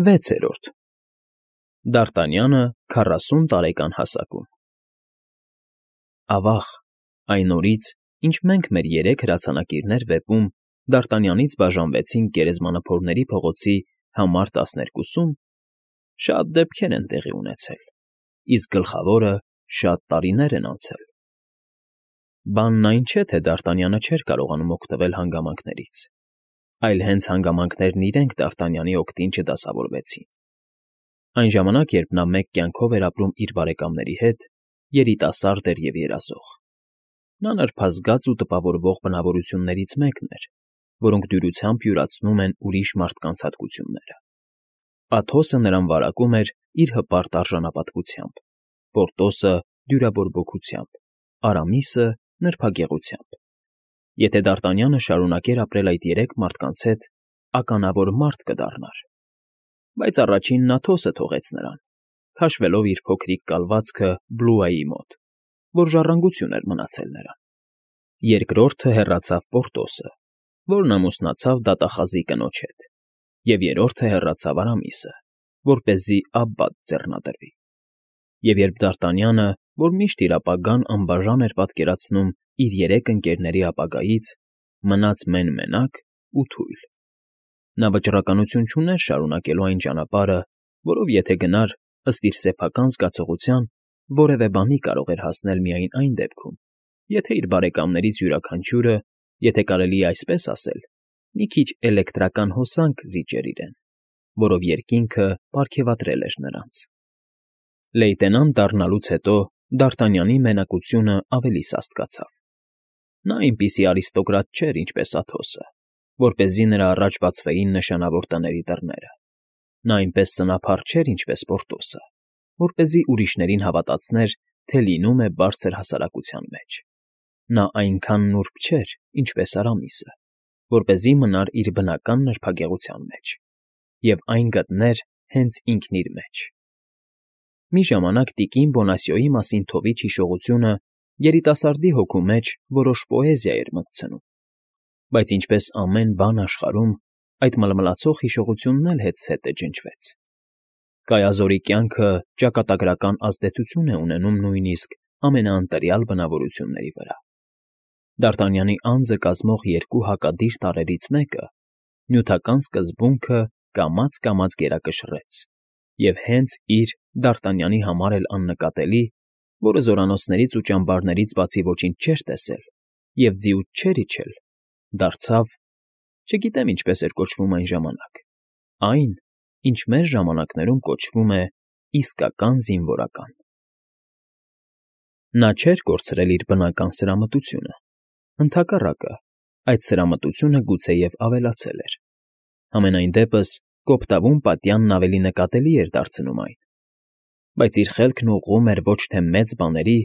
6-րդ Դարտանյանը 40 տարեկան հասակում Ավաղ, այն օրից, ինչ մենք մեր 3 հրացանակիրներ վեպում Դարտանյանից բաժանվեցինք Գերեզմանափորների փողոցի համար 12-ում, շատ դեպքեր են տեղի ունեցել, իսկ գլխավորը շատ տարիներ են անցել։ Բանն այն չէ, թե Դարտանյանը չէր կարողանում օգտվել հանգամանքներից, այլ հենց հանգամանքներն իրենք Դարտանյանի օգտին չդասավորվեցին։ Այն ժամանակ, երբ նա մեկ կյանքով էր ապրում իր բարեկամների հետ, երիտասարդ էր և երազող։ Նա նրբազգաց ու տպավորվող բնավորություններից մեկն էր, որոնք դյուրությամբ յուրացնում են ուրիշ մարդկանց հատկությունները։ Աթոսը նրան վարակում էր իր հպարտ արժանապատվությամբ, Պորտոսը՝ դյուրավորվողությամբ, Արամիսը՝ նրբագեղությամբ։ Եթե Դարտանյանը շարունակեր ապրել այդ 3 մարդկանց հետ, ականավոր մարդ կդառնար։ Բայց առաջինն Աթոսը թողեց նրան, քաշվելով իր փոքրիկ կալվածքը Բլուայի մոտ, որ ժառանգություն էր մնացել նրան։ Երկրորդը հեռացավ Պորտոսը, որն ամուսնացավ դատախազի կնոջ հետ, և երրորդը հեռացավ Արամիսը, որպեսզի Աբբատ ձեռնադրվի։ Եվ երբ Դարտանյանը, որ միշտ իր ապագան անբաժան էր պատկերացնում իր 3 ընկերների ապագայից, մնաց մեն֊մենակ ու թույլ։ Նա վճռականություն չուներ շարունակելու այն ճանապարհը, որով եթե գնար, ըստ իր սեփական զգացողության, որևէ բանի կարող էր հասնել միայն այն դեպքում, եթե իր բարեկամներից յուրաքանչյուրը, եթե կարելի է այսպես ասել, մի քիչ էլեկտրական հոսանք զիջեր իրեն, որով երկինքը պարգևատրել էր նրանց։ Լեյտենանտ դառնալուց հետո Դարտանյանի մենակությունը ավելի սաստկացավ։ Նա այնպիսի արիստոկրատ չէր, ինչպես Աթոսը, որպեսզի նրա առաջ բացվեին նշանավոր տների դռները։ Նա այնպես սնափառ չէր, ինչպես Պորտոսը, որպեսզի ուրիշներին հավատացներ, թե լինում է բարձր հասարակության մեջ։ Նա այնքան նուրբ չէր, ինչպես Արամիսը, որպեսզի մնար իր բնական նրբագեղության մեջ, և այն գտներ հենց ինքն իր մեջ։ Մի ժամանակ տիկին Բոնասիոյի մասին թովիչ հիշողությունը երիտասարդի հոգու մեջ որոշ պոեզիա էր մտցնում, բայց ինչպես ամեն բան աշխարհում, այդ մլմլացող հիշողությունն էլ հետզհետե ջնջվեց։ Կայազորի կյանքը ճակատագրական ազդեցություն է ունենում նույնիսկ ամենաընտրյալ բնավորությունների վրա։ Դարտանյանի անձը կազմող 2 հակադիր տարրերից մեկը, նյութական սկզբունքը կամաց֊կամաց գերակշռեց, և հենց իր Դարտանյանի համար էլ աննկատելի, որը զորանոցներից ու ճամբարներից բացի ոչինչ չէր տեսել և ձիուց չէր իջել, դարձավ, չգիտեմ ինչպես էր կոչվում այն ժամանակ, այն, ինչ մեր ժամանակներում կոչվում է իսկական զինվորական։ Նա չէր կորցրել իր բնական սրամտությունը, ընդհակառակը, այդ սրամտությունը գուցեև ավելացել էր։ Համենայն դեպս կոպտավուն պատյանն ավելի նկատելի էր դարձնում այն։ Բայց իր խելքն ուղղում էր ոչ թե մեծ բաների,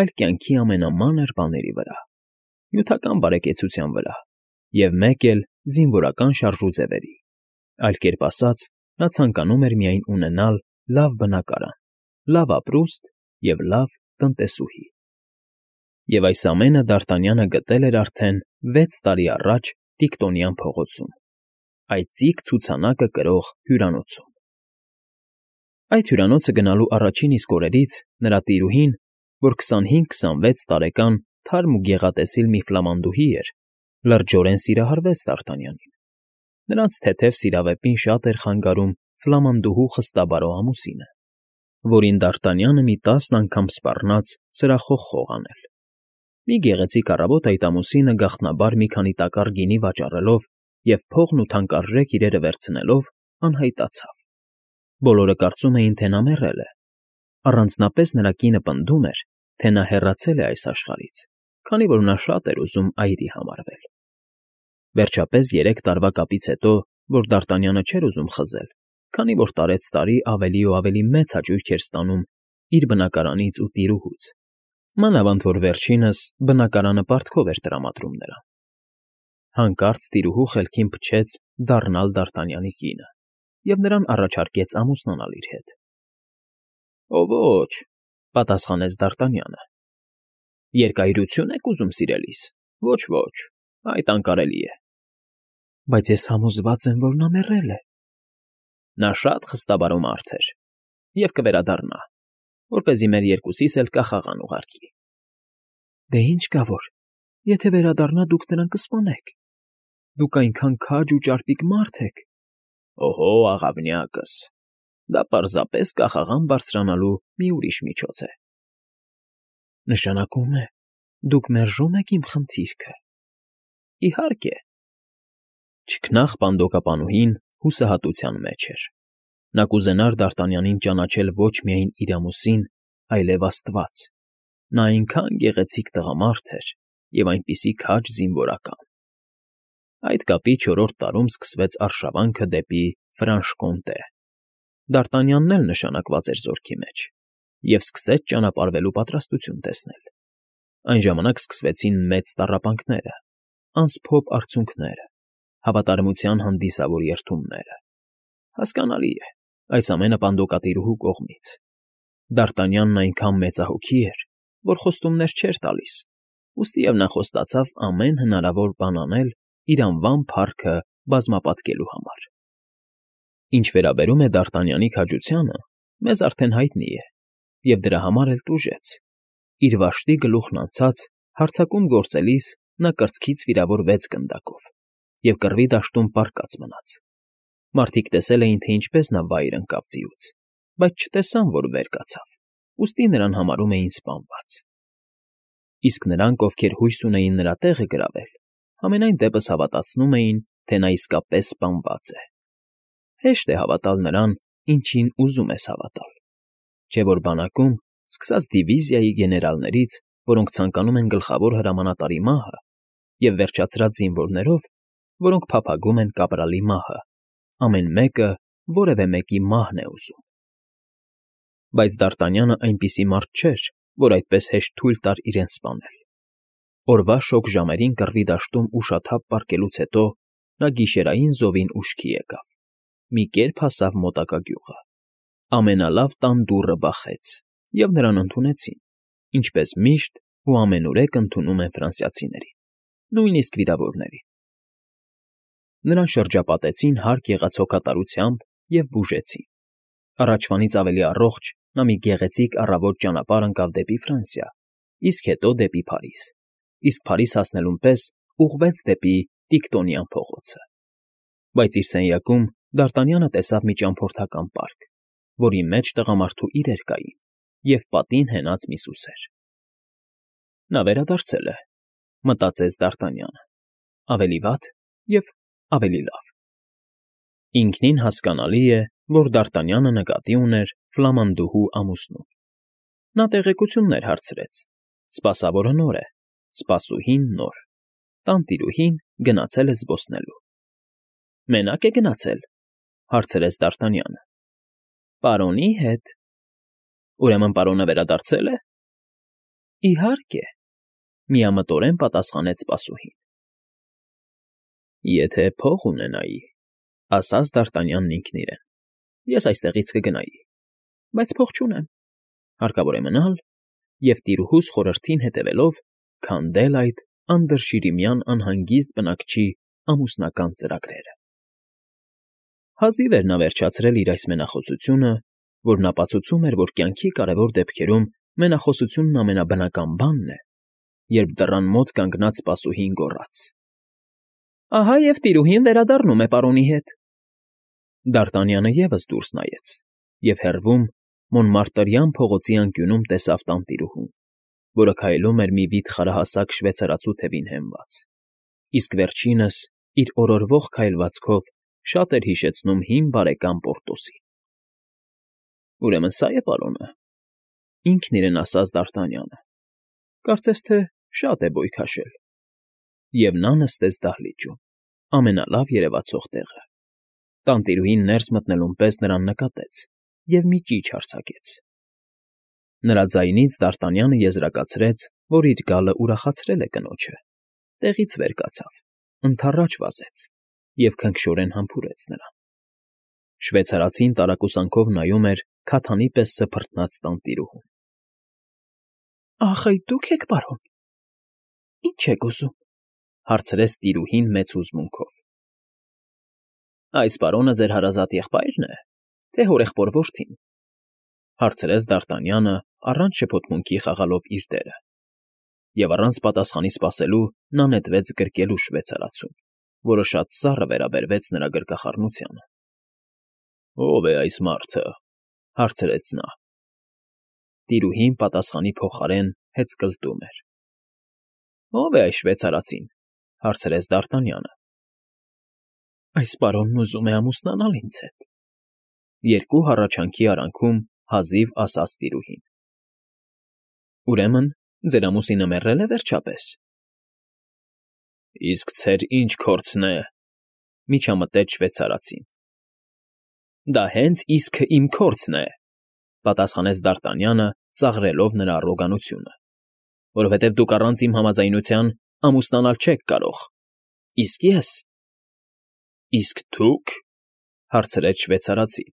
այլ կյանքի ամենամանր բաների վրա, նյութական բարեկեցության վրա, և մեկ էլ զինվորական շարժուձևերի։ Այլ կերպ ասած, նա ցանկանում էր միայն ունենալ լավ բնակարան, լավ ապրուստ և լավ տնտեսուհի։ Եվ այս ամենը Դարտանյանը գտել էր արդեն 6 տարի առաջ Տիկտոնյան փողոցում, այդ ծիկ ցուցանակը կրող հյուրանոցում։ Այդ հյուրանոցը գնալու առաջին իսկ օրերից նրա տիրուհին, որ 25-26 տարեկան թարմ ու գեղատեսիլ մի ֆլամանդուհի էր, լրջորեն սիրահարվեց Դարտանյանին։ Նրանց թեթև սիրավեպին շատ էր խանգարում ֆլամանդուհու խստաբարո ամուսինը, որին Դարտանյանը մի 10 անգամ սպառնաց սրախոխ խոհանել։ Մի գեղեցիկ առավոտ այդ ամուսինը գաղտնաբար մի քանի տակառ գինի վաճառելով և փողն ու թանկարժեք իրերը վերցնելով անհայտացավ։ Բոլորը կարծում էին, թե նա մեռել է։ Առանձնապես նրա կինը պնդում էր, թե նա հեռացել է այս աշխարհից, քանի որ նա շատ էր ուզում այրի համարվել։ Վերջապես 3 տարվա կապից հետո, որ Դարտանյանը չէր ուզում խզել, քանի որ տարեցտարի ավելի ու ավելի մեծ հաճույք էր ստանում իր բնակարանից ու տիրուհուց, մանավանդ որ վերջինս բնակարանը պարտքով էր տրամադրում նրան։ Հանկարծ տիրուհու խելքին փչեց դառնալ Դարտանյանի կինը և նրան առաջարկեց ամուսնանալ իր հետ։ ֊ Ոչ,֊ պատասխանեց Դարտանյանը։ ֊ Երկայրությո՞ւն եք ուզում, սիրելիս, ոչ, այդ անկարելի է։ ֊ Բայց ես համոզված եմ, որ նա մեռել է։ Նա շատ խստաբարո մարդ էր և կվերադառնա, որպեսզի մեր երկուսիս էլ կախաղան ուղարկի։ Դե ինչ կա որ, եթե վերադառնա, դուք նրան կսպանեք։ Դուք այնքան քաջ ու ճարպիկ մարդ եք։ Օհո, աղավնյակս, դա պարզապես կախաղան բարձրանալու մի ուրիշ միջոց է։ Նշանակում է, դուք մերժում եք իմ խնդիրքը։ Իհարկե։ Չքնաղ պանդոկապանուհին հուսահատության մեջ էր։ Նա կուզենար Դարտանյանին ճանաչել ոչ միայն իր ամուսին, այլև Աստված։ Նա այնքան գեղեցիկ տղամարդ էր և այնպիսի քաջ զինվորական։ Այդ կապի 4-րդ տարում սկսվեց արշավանքը դեպի Ֆրանշկոնտե։ Դարտանյանն էլ նշանակված էր զորքի մեջ և սկսեց ճանապարհվելու պատրաստություն տեսնել։ Այն ժամանակ սկսվեցին մեծ տառապանքները, անսփոփ արցունքները, հավատարմության հանդիսավոր երդումները։ Հասկանալի է, այս ամենը պանդոկատիրուհու կողմից։ Դարտանյանն այնքան մեծահոգի էր, որ խոստումներ չէր տալիս, ուստիև նա խոստացավ ամեն հնարավոր բան անել իր անվան փառքը բազմապատկելու համար։ Ինչ վերաբերում է Դարտանյանի քաջությանը, մեզ արդեն հայտնի է, և դրա համար էլ տուժեց։ Իր վաշտի գլուխն անցած հարձակում գործելիս նա կրծքից վիրավորվեց գնդակով և կռվի դաշտում պառկած մնաց։ Մարդիկ տեսել էին, թե ինչպես նա վայր ընկավ ձիուց, բայց չտեսան, որ վեր կացավ, ուստի նրան համարում էին սպանված։ Իսկ նրանք, ովքեր հույս ունեին նրա տեղը գրավել, համենայն դեպս հավատացնում էին, թե նա իսկապես սպանված է։ Հեշտ է հավատալ նրան, ինչին ուզում ես հավատալ։ Չէ որ բանակում, սկսած դիվիզիայի գեներալներից, որոնք ցանկանում են գլխավոր հրամանատարի մահը, և վերջացրած զինվորներով, որոնք փափագում են կապրալի մահը, ամեն մեկը որևէ մեկի մահն է ուզում։ Բայց Դարտանյանը այնպիսի մարդ չէր, որ այդպես հեշտ թույլ տար իրեն սպանել։ Օրվա շոգ ժամերին կռվի դաշտում ուշաթափ պառկելուց հետո նա գիշերային զովին ուշքի եկավ։ Մի կերպ հասավ մոտակա գյուղը։ Ամենալավ տան դուռը բախեց, և նրան ընդունեցին, ինչպես միշտ ու ամենուրեք ընդունում են ֆրանսիացիներին, նույնիսկ վիրավորներին։ Նրան շրջապատեցին հարկ եղած հոգատարությամբ և բուժեցին։ Առաջվանից ավելի առողջ նա մի գեղեցիկ առավոտ ճանապարհ ընկավ դեպի Ֆրանսիա, իսկ հետո դեպի Փարիզ, իսկ Փարիզ հասնելուն պես ուղղվեց դեպի Տիկտոնյան փողոցը։ Բայց իր սենյակում Դարտանյանը տեսավ մի ճամփորդական պարկ, որի մեջ տղամարդու իրեր կային և պատին հենած մի սուսեր։ Նա վերադարձել է, մտածեց Դարտանյանը, ավելի վատ և ավելի լավ։ Ինքնին հասկանալի է, որ Դարտանյանը նկատի ուներ ֆլամանդուհու ամուսնուն։ Նա տեղեկություններ հարցրեց. սպասավորը նոր է, սպասուհին նոր, տանտիրուհին գնացել է զբոսնելու։ Մենա՞կ է գնացել,֊ հարցրեց Դարտանյանը։ Պարոնի հետ։ Ուրեմն պարոնը վերադարձել է։ Իհարկե,֊ միամտորեն պատասխանեց սպասուհին։ Եթե փող ունենայի,֊ ասաց Դարտանյանն ինքն իրեն,֊ ես այստեղից կգնայի, բայց փող չունեմ, հարկավոր է մնալ և տիրուհուս խորհրդին հետևելով քանդել այդ անդրշիրիմյան անհանգիստ բնակչի ամուսնական ծրագրերը։ Հազիվ էր նա վերջացրել իր այս մենախոսությունը, որն ապացուցում էր, որ կյանքի կարևոր դեպքերում մենախոսությունն ամենաբնական բանն է, երբ դռան մոտ կանգնած սպասուհին գոռաց. Ահա և տիրուհին վերադառնում է պարոնի հետ։ Դարտանյանը ևս դուրս նայեց և հեռվում Մոնմարտրյան փողոցի անկյունում տեսավ տանտիրուհուն, որը քայլում էր մի վիթխարահասակ շվեյցարացու թևին հենված, իսկ վերջինս իր օրորվող քայլվածքով շատ էր հիշեցնում հին բարեկամ Պորտոսին։ Ուրեմն սա է պարոնը,֊ ինքն իրեն ասաց Դարտանյանը, կարծես թե շատ է բոյ քաշել։ Եվ նա նստեց դահլիճում, ամենալավ երևացող տեղը։ Տանտիրուհին ներս մտնելուն պես նրան նկատեց և մի ճիչ արձակեց։ Նրա ձայնից Դարտանյանը եզրակացրեց, որ իր գալը ուրախացրել է կնոջը, տեղից վեր կացավ, ընդառաջ վազեց և քնքշորեն համբուրեց նրան։ Շվեյցարացին տարակուսանքով նայում էր քաթանի պես սփռտնած տանտիրուհուն։ Ախ, այդ դու՞ք եք, պարոն։ Ի՞նչ եք ուզում,֊ հարցրեց տիրուհին մեծ հուզմունքով։ Այս պարոնը ձեր հարազատ եղբայրն է, թե հորեղբոր որդին,֊ հարցրեց Դարտանյանը առանց շփոթմունքի խաղալով իր դերը, և առանց պատասխանի սպասելու նա նետվեց գրկելու շվեյցարացուն, որը շատ սառը վերաբերվեց նրա գրկախառնությանը։ «Ո՞վ է այս մարդը,֊ հարցրեց նա։ Տիրուհին պատասխանի փոխարեն հեծկլտում էր։ «Ո՞վ է այս շվեյցարացին,֊ հարցրեց Դարտանյանը։ Այս պարոնն ուզում է ամուսնանալ ինձ հետ,֊ երկու հառաչանքի արանքում հազիվ ասաց տիրուհին։ Ուրեմն ձեր ամուսինը մեռել է վերջապես։ Իսկ ցեր ինչ քորձն է,֊ միջամտեց շվեյցարացին։ Դա հենց իսկը իմ քորձն է,֊ պատասխանեց Դարտանյանը, ծաղրելով նրա առոգանությունը,֊ որովհետև դուք առանց իմ համաձայնության ամուսնանալ չեք կարող, իսկ ես… Իսկ դուք,֊ հարցրեց շվեյցարացին։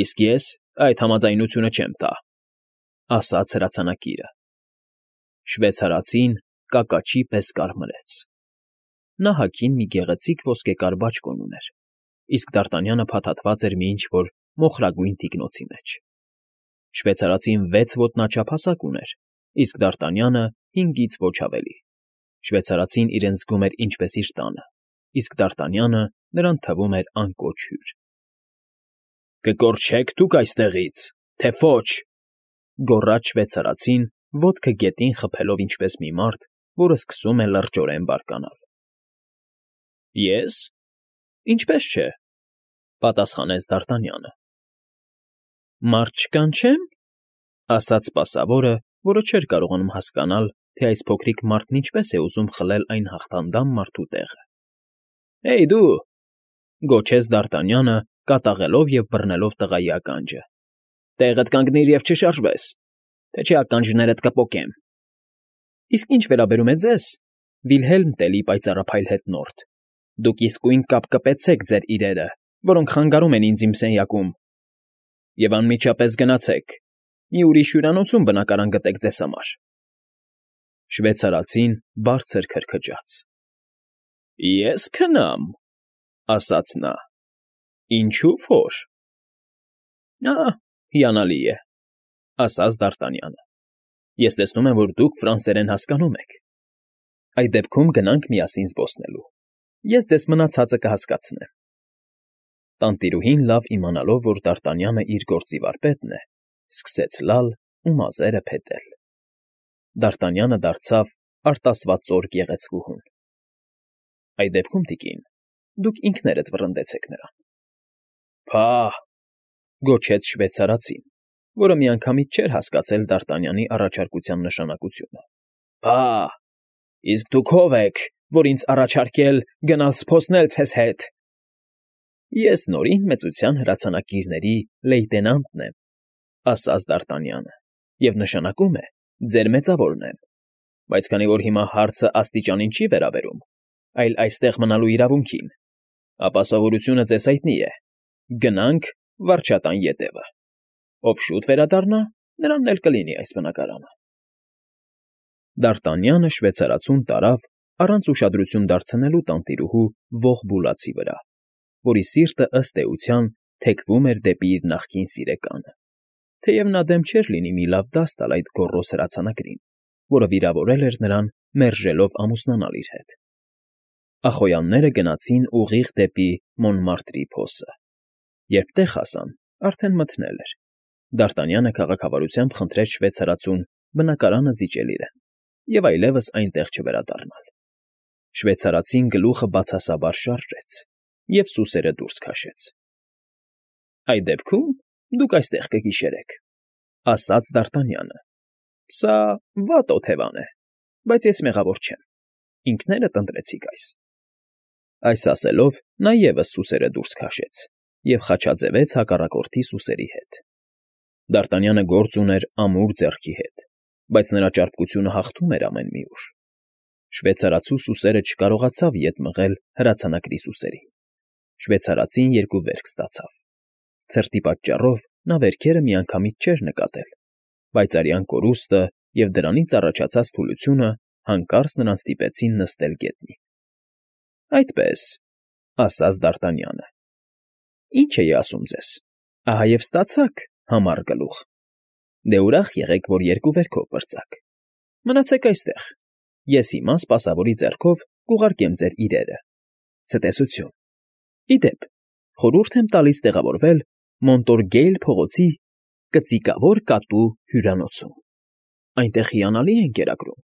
Իսկ ես այդ համաձայնությունը չեմ տա,֊ ասաց հրացանակիրը։ Շվեյցարացին կակաչի պես կարմրեց։ Նա հագին մի գեղեցիկ ոսկեկար բաճկոն ուներ, իսկ Դարտանյանը փաթաթված էր մի ինչ֊որ մոխրագույն թիկնոցի մեջ։ Շվեյցարացին 6 ոտնաչափ հասակ ուներ, իսկ Դարտանյանը 5-ից ոչ ավելի։ Շվեյցարացին իրեն զգում էր ինչպես իր տանը, իսկ Դարտանյանը նրան թվում էր անկոչ հյուր։ Կկորչեք դուք այստեղից, թե ոչ,֊ գոռաց շվեյցարացին, ոտքը գետին խփելով ինչպես մի մարդ, որը սկսում է լրջորեն բարկանալ։ Ես… Ինչպես չէ,֊ պատասխանեց Դարտանյանը։ Մարդ չկանչեմ,֊ ասաց սպասավորը, որը չէր կարողանում հասկանալ, թե այս փոքրիկ մարդն ինչպես է ուզում խլել այն հաղթանդամ մարդու տեղը։ Հեյ դու,֊ գոչեց Դարտանյանը, կատաղելով և բռնելով տղայի ականջը,֊ տեղդ կանգնիր և չշարժվես, թե չէ ականջներդ կպոկեմ։ Իսկ ինչ վերաբերում է ձեզ, Վիլհելմ Տելի պայծառափայլ հետնորդ, դուք իսկույն կապկպեցեք ձեր իրերը, որոնք խանգարում են ինձ իմ սենյակում, և անմիջապես գնացեք, մի ուրիշ հյուրանոցում բնակարան գտեք ձեզ համար։ Շվեյցարացին բարձր քրքջաց։ Ես քնամ,֊ ասաց նա։ Ինչու որ… Հիանալի է,֊ ասաց Դարտանյանը։ Ես տեսնում եմ, որ դուք ֆրանսերեն հասկանում եք։ Այդ դեպքում գնանք միասին զբոսնելու։ Ես ձեզ մնացածը կհասկացնեմ։ Տանտիրուհին լավ իմանալով, որ Դարտանյանը իր գործի վարպետն է, սկսեց լալ ու մազերը փետել։ Դարտանյանը դարձավ արտասված գեղեցկուհուն։ Այդ դեպքում, տիկին, դուք ինքներդ վռնդեցեք նրան։ Փահ,֊ գոչեց շվեյցարացին, որը միանգամից չէր հասկացել Դարտանյանի առաջարկության նշանակությունը։ Փահ, իսկ դուք ո՞վ եք, որ ինձ առաջարկել գնալ զբոսնել ձեզ հետ։ Ես Նորին մեծության հրացանակիրների լեյտենանտն եմ,֊ ասաց Դարտանյանը,֊ և նշանակում է ձեր մեծավորն եմ, բայց քանի որ հիմա հարցը աստիճանին չի վերաբերում, այլ այստեղ մնալու իրավունքին, ապա սովորությունը ձեզ հայտնի է. գնանք վարչատան ետևը, ով շուտ վերադառնա, նրանն էլ կլինի այս բնակարանը։ Դարտանյանը շվեյցարացուն տարավ առանց ուշադրություն դարձնելու տանտիրուհու ոխ բուլացի վրա, որի սիրտը ըստ էության թեքվում էր դեպի իր նախկին սիրեկանը, թեև նա դեմ չէր լինի մի լավ դաս տալ այդ գոռոզ հրացանակրին, որը վիրավորել էր նրան մերժելով ամուսնանալ իր հետ։ Ախոյանները գնացին ուղիղ դեպի Մոնմարտրի փոսը։ Երբ տեղ հասան, արդեն մթնել էր։ Դարտանյանը քաղաքավարությամբ խնդրեց շվեյցարացուն բնակարանը զիջել իրեն և այլևս այնտեղ չվերադառնալ։ Շվեյցարացին գլուխը բացասաբար շարժեց և սուսերը դուրս քաշեց։ Այդ դեպքում դուք այստեղ կգիշերեք,֊ ասաց Դարտանյանը։ Սա վատ օթևան է, բայց ես մեղավոր չեմ, ինքներդ ընտրեցիք այս։ Այս ասելով նա ևս սուսերը դուրս քաշեց և խաչաձևեց հակառակորդի սուսերի հետ։ Դարտանյանը գործ ուներ ամուր ձեռքի հետ, բայց նրա ճարպկությունը հաղթում էր ամեն մի ուժ։ Շվեյցարացու սուսերը չկարողացավ ետ մղել հրացանակրի սուսերին։ Շվեյցարացին երկու վերք ստացավ։ Ցրտի պատճառով նա վերքերը միանգամից չէր նկատել, բայց արյան կորուստը և դրանից առաջացած թուլությունը հանկարծ նրան ստիպեցին նստել գետնին։ Այդպես,֊ ասաց Դարտանյանը, Ինչ էի ասում ձեզ, ահա և ստացաք համառ գլուխ, դե ուրախ եղեք, որ երկու վերքով պրծաք, մնացեք այստեղ, ես հիմա սպասավորի ձեռքով կուղարկեմ ձեր իրերը, ցտեսություն, ի դեպ, խորհուրդ եմ տալիս տեղավորվել Մոնտորգեյլ փողոցի Կծիկավոր կատու հյուրանոցում, այնտեղ հիանալի են կերակրում,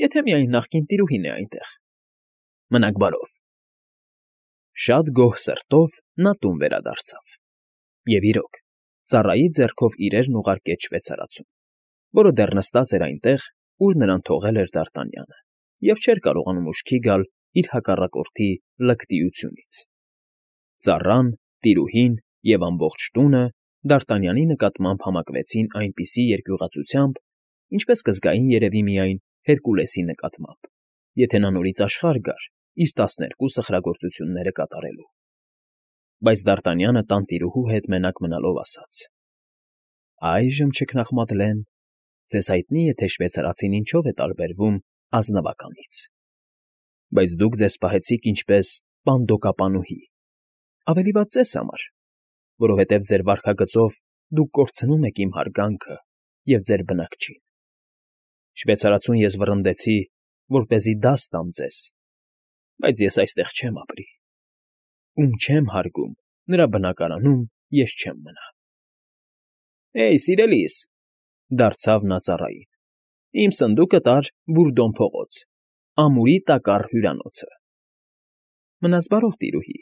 եթե միայն նախկին տիրուհին է այնտեղ, մնաք բարով։ Շատ գոհ սրտով նա տուն վերադարձավ, և իրոք, ծառայի ձեռքով իրերն ուղարկեց շվեյցարացուն, որը դեռ նստած էր այնտեղ, ուր նրան թողել էր Դարտանյանը, և չէր կարողանում ուշքի գալ իր հակառակորդի լկտիությունից։ Ծառան, տիրուհին և ամբողջ տունը Դարտանյանի նկատմամբ համակվեցին այնպիսի երկյուղածությամբ, ինչպես կզգային երևի միայն Հերկուլեսի նկատմամբ, եթե նա նորից աշխարհ գար իր 12 սխրագործությունները կատարելու։ Բայց Դարտանյանը տանտիրուհու հետ մենակ մնալով ասաց. «Այժմ, չքնաղ Մադլեն, ձեզ հայտնի է, թե շվեյցարացին ինչով է տարբերվում ազնվականից, բայց դուք ձեզ պահեցիք ինչպես պանդոկապանուհի, ավելի վատ ձեզ համար, որովհետև ձեր վարքագծով դուք կորցնում եք իմ հարգանքը և ձեր բնակչին։ Շվեյցարացուն ես վռնդեցի, որպեսզի դաս տամ ձեզ, բայց ես այստեղ չեմ ապրի. ում չեմ հարգում, նրա բնակարանում ես չեմ մնա»։ «Հեյ, սիրելիս,֊ դարձավ նա ծառային,֊ իմ սնդուկը տար Բուրդոն փողոց, ամուրի տակառ հյուրանոցը»։ «Մնաս բարով, տիրուհի»։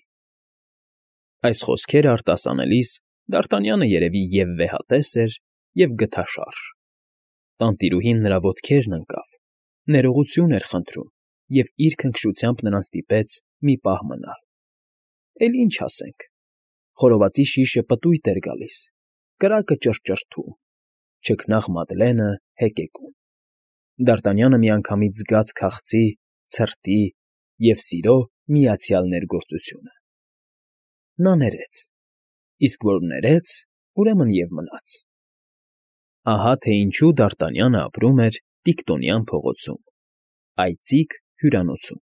Այս խոսքերը արտասանելիս Դարտանյանը երևի և վեհատես էր, և գթաշարժ։ Տանտիրուհին նրա ոտքերն ընկավ, ներողություն էր խնդրում և իր քնքշությամբ նրան ստիպեց մի պահ մնալ։ Էլ ինչ ասենք, խորովածի շիշը պտույտ էր գալիս, կրակը ճռճռթում, չքնաղ Մադլենը հեկեկում։ Դարտանյանը միանգամից զգաց քաղցի, ցրտի և սիրո միացյալ ներգործությունը։ Նա ներեց, իսկ որ ներեց, ուրեմն և մնաց։ Ահա թե ինչու Դարտանյանը ապրում էր Տիկտոնյան փողոցում, այծիկ հյուրանոցում։